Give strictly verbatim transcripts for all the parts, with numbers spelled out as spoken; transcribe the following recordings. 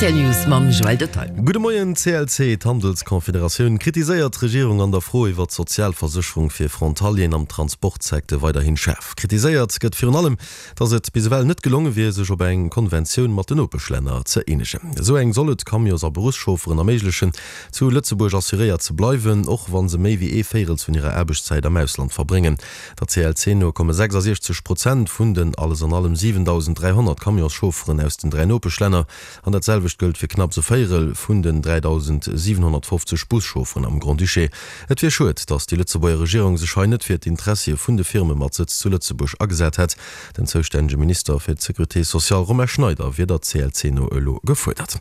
Rtl News mam Joël Detail. Gudde Moien, C L C, D'Handelsconfederatioun kritiséiert d'Regierung an der Fro iwwer d'Sozialversécherung fir Frontalieren am Transportsecteur weiderhin schaarf. Kritiséiert gëtt virun allem, datt et bis ewell net gelonge wier, sech op eng Konventioun mat den Nopeschlänner ze eenegen. Esou eng soll et Camions a Beruffschaufferen erméiglechen, zu Lëtzebuerg assuréiert ze bleiwen, och wa se méi wéi ee Véirels vun hirer Aarbechtszäit am Ausland verbréngen. Der C L C no komme sechsasiechzeg Prozent vun den alles an allem siwentausend dräihonnert Camionschaufferen aus den dräi Nopeschlänner, an dat selwecht gëllt fir knapps e Véirel vun den dräidausendsiwenhonnertfofzeg Buschaufferen am Grand-Duché. Et wier schued, datt déi Lëtzebuerger Regierung sech hei net fir d'Interessie vun de Firme mat Sëtz zu Lëtzebuerg agesat hätt. Den zoustännege Minister fir d'Sécurité sociale Romain Schneider wier der C L C no elo gefuerdert.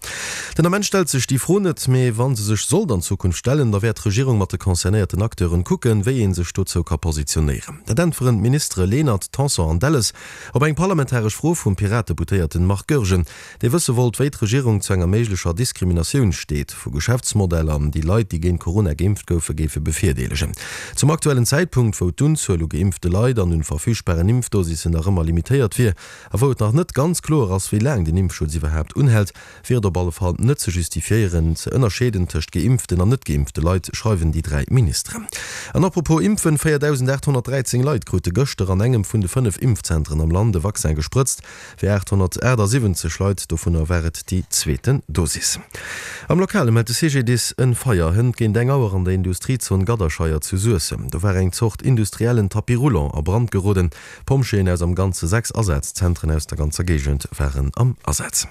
Den Ament stellt sech déi Fro net, mee wa se sech sollt an Zukunft stellen, da wäert d'Regierung mat de concernéierten Acteuren kucken, wéi ee sech dozou ka positionéieren. Dat äntweren d'Ministere Lenert, Tanson an Delles op eng parlamentaresch Fro vum Piratedeputéierten Marc Goergen, dee wësse wollt, wéi d'Regierung zu enger méiglecher Diskriminatioun steet vu Geschäftsmodeller, déi Leit, déi géint Corona geimpft goufe, géife bevirdeelegen. Zum aktuellen Zäitpunkt, wou d'Unzuel u geimpfte Leit an un verfügbaren Impfdosissen nach ëmmer limitéiert wier a wou et nach net ganz kloer ass, wéi laang den Impfschutz iwwerhaapt unhält, wier et op alle Fall net ze justifiéieren, ze ënnerscheeden tëscht geimpften an net geimpfte Leit, schreiwen déi dräi Ministeren. An apropos Impfen, véierdausendaathonnertdräizéng Leit krute gëschter an engem vun de fënnef Impfzentren am Land e Vaccin gesprëtzt. Fir aathonnertaachtsiwwenzeg Leit dovunner war et déi zweeten Dosis. Am Lokale mellt de C G D I S en Feier hënt géint eng Auer an der Industriezon Gadderscheier zu Suessem. Do war eng Zort industriellen Tapis roulant a Brand geroden. Pompjeeën aus am Ganze sechs Asazzentren aus der ganzer Géigend waren am Asaz.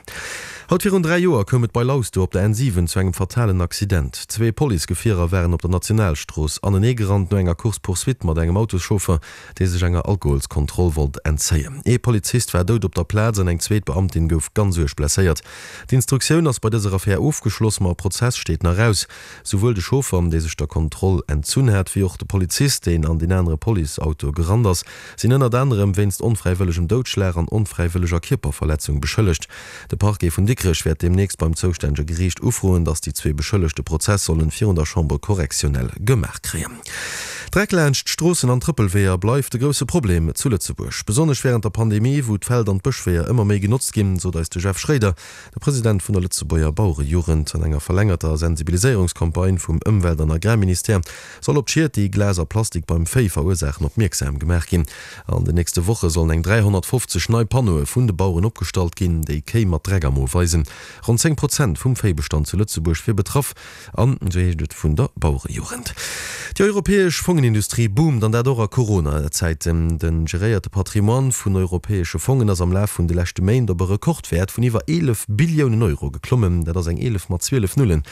Haut virun dräi Joer koum et bei Lauste op der N siwen zu engem fatalen Accident. Zwee Policegefierer waren op der Nationalstrooss aneneegerannt no enger Course-poursuite mat engem Autoschauffer, dee sech enger Alkoholskontroll wollt entzéien. Ee Polizist war dout op der Plaz an eng zweet Beamtin gouf ganz uerg blesséiert. D'Instruktioun ass bei dëser Affär ofgeschloss, ma e Prozess steet nach aus. Souwuel de Chauffer, dee sech der Kontroll entzunn hat, wéi och de Polizist, deen an deen anere Policeauto gerannt ass, sinn ënnert anerem wéinst onfräiwëllegem Doudschlag an onfräiwëlleger Kierperverletzung beschëllegt. De Parquet vun Dikrech wäert deemnächst beim zoustännege Geriicht ufroen, datt déi zwee Beschëllegte Prozess sollen virun der Chambre correctionnelle gemaach kréien. Dreck laanscht d'Stroossen an Trëppelweeër bleift e grousse Problem zu Lëtzebuerg. Besonnesch wärend der Pandemie, wou d'Feld an d'Bëschweeër ëmmer méi genotzt ginn, sot eis de Jeff Schréider, de President vun der Lëtzebuerger Bauerejugend. An enger verlängerter Sensibiliséierungscampagne vum Ëmwelt an Agrarministère soll op d'Schied, déi Glas a Plastik beim Véi verursaachen, opmierksam gemaach ginn. An den nächste Woche sollen eng dräihonnertfofzeg nei Panneaue vun de Baueren opgestallt ginn, déi Kéi mat Dreck am Mo weisen. Ronn zéng Prozent vum Véibestand zu Lëtzebuerg wier betraff, an esou heescht et vun der Bauerejugend. Déi europäesch Fongenindustrie boomt, an dat och a Corona-Zäiten. De geréierte Patrimoine vun europäesche Fongen ass am Laf vun de leschte Méint op e Rekordwäert vun iwwer eelef Billiounen Euro geklommen. Dat ass eng eelef mat zwielef Nullen.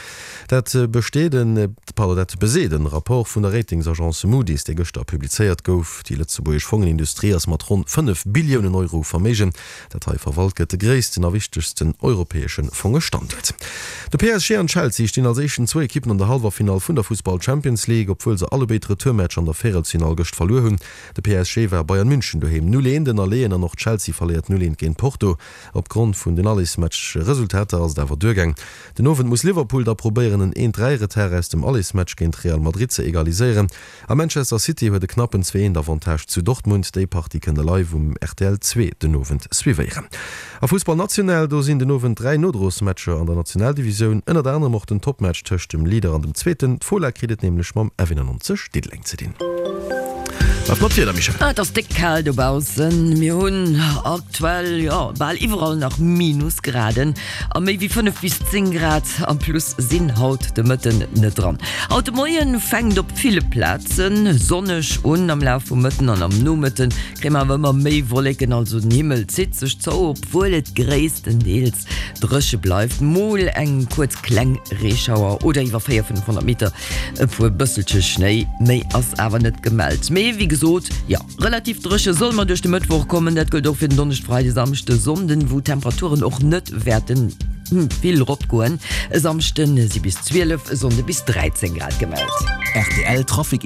Dat besteet en, pardon, dat beseet en Rapport vun der Ratingsagence Moody's, dee gëschter publizéiert gouf. Déi lëtzebuergesch Fongenindustrie ass mat ronn fënnef Billiounen Euro Verméigen, dat hei verwalt gëtt, de gréissten a wichtegsten europäesche Fongestanduert. De P S G an Chelsea stinn als éischten zwou Ekippen an der Hallwerfinall vun der Fussball Champions League, obwuel se allebéid Retourmatch an der Véierelsfinall gëscht verluer hunn. De P S G war Bayern München doheem null eent ënnerleeën an och Chelsea verléiert null eent géint Porto. Opgrond vun den Allesmatch-Resultater ass et awer duergaang. Den Owend muss Liverpool da probéieren en eent-dräi-Retard aus dem Allesmatch géint Real Madrid ze egaliséieren. A Manchester City huet e knappen zwee eent Avantage zu Dortmund. Déi Partie kënnt der live um R T L zwee den Owend suivéieren. A Fussball national, do sinn den Owend dräi Nodrosmatcher an der Nationaldivisioun, ënnert anerem och den Topmatch tëscht dem Leader an dem Zweeten. D'Fola kritt et nämlech mam F eenannonzeg Diddeleng ze dinn. Wat mat Wieder, Michèle? Ah, et ass déck kal dobaussen. Mir hunn aktuell, jo, bal iwwerall nach Minusgraden a méi wéi fënnef bis zéng Grad am Plus sinn haut de Mëtten net dran. Haut de Moien fänkt op ville Plaze sonneg un. Am Laf vum Mëtten an am Nomëtte kréie mer awer ëmmer méi Wolleken, also den Himmel zitt sech zou, obwuel et gréisstendeels dréche bleift. Mol eng kuerz kleng Reeschauer oder iwwer véier, fënnefhonnert Meter e puer bësselche Schnéi, méi ass awer net gemellt. Mee wéi gesot, jo, relativ dréche solle mer duerch de Mëttwoch kommen. Dat gëllt och fir den Donneschd, Freide, Samschde, Sonnden, wou d'Temperaturen och net wäerte vill eropgoen. E Samschde si bis zwielef, e Sonnde bis dräizéng Grad gemellt. R T L Trafic.